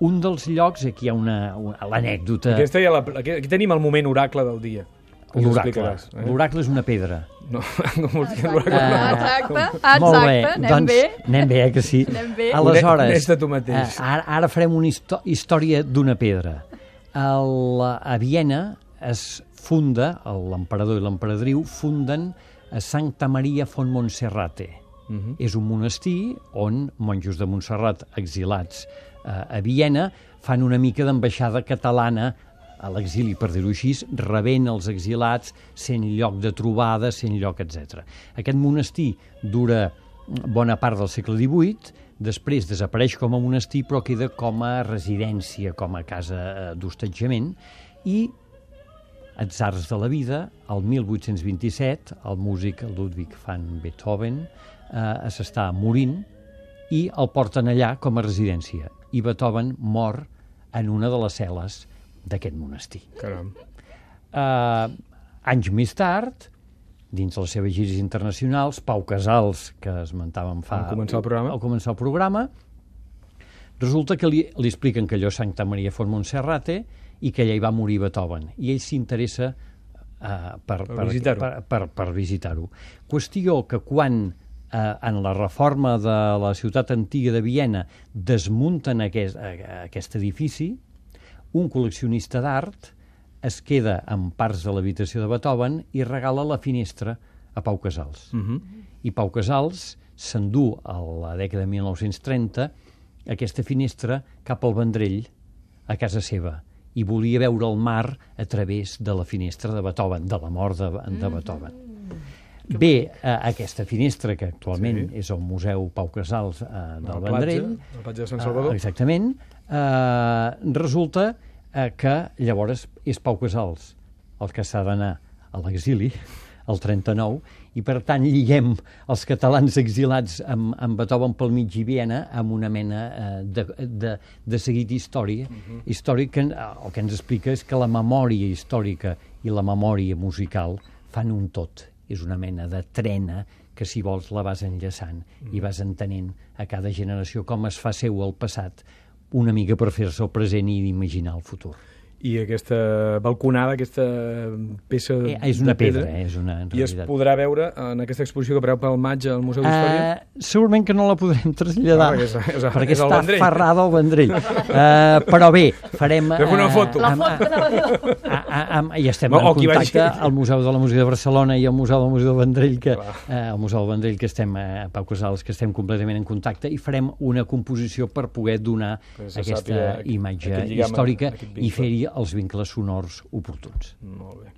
Un dels llocs, aquí hi ha l'anècdota... Aquí tenim el moment oracle del dia. L'oracle és una pedra. No, com us dic, l'oracle Exacte, Molt bé, anem bé. Anem bé, que sí? Anem bé. Aleshores, N'és de tu mateix. Ara farem una història d'una pedra. A Viena es funda, l'emperador i l'emperadriu funden a Santa Maria von Montserrate. És un monestir on monjos de Montserrat exilats a Viena fan una mica d'ambaixada catalana a l'exili, per dir-ho així, rebent els exilats, sent lloc de trobada, sent lloc, etc. Aquest monestir dura bona part del segle XVIII, després desapareix com a monestir, però queda com a residència, com a casa d'hostatjament, i atzars de la vida, el 1827, el músic Ludwig van Beethoven s'està morint i el porten allà com a residència. I Beethoven mor en una de les cel·les d'aquest monestir. Caram. Anys més tard, dins les seves gires internacionals, Pau Casals, que esmentàvem Al començar el programa, resulta que li expliquen que allò és Santa Maria von Montserrate i que allà hi va morir Beethoven. I ell s'interessa per visitar-ho. Qüestió que quan en la reforma de la ciutat antiga de Viena desmunten aquest edifici, un col·leccionista d'art es queda amb parts de l'habitació de Beethoven i regala la finestra a Pau Casals. I Pau Casals s'endú a la dècada de 1930 aquesta finestra cap al Vendrell, a casa seva, i volia veure el mar a través de la finestra de Beethoven, de la mort de Beethoven. Bé, aquesta finestra, que actualment és al Museu Pau Casals del Vendrell, la platja de Sant Salvador, exactament, resulta que llavors és Pau Casals el que s'ha d'anar a l'exili, el 39, i per tant lliguem els catalans exilats amb Beethoven pel mig i Viena amb una mena de seguit històric que el que ens explica és que la memòria històrica i la memòria musical fan un tot. És una mena de trena que, si vols, la vas enllaçant i vas entenent a cada generació com es fa seu el passat, una mica per fer-se el present i imaginar el futur. I aquesta balconada, aquesta peça és una de pedra, i es podrà veure en aquesta exposició que preveu pel maig al Museu d'Història? Segurament que no la podrem traslladar, perquè és està ferrada al Vendrell. Però bé, farem... una foto. I estem en contacte al Museu de la Música de Barcelona i al Museu del Vendrell, al Museu del Vendrell, que estem a Pau Casals, que estem completament en contacte, i farem una composició per poder donar aquesta imatge històrica i fer-hi els vincles sonors oportuns. Molt bé.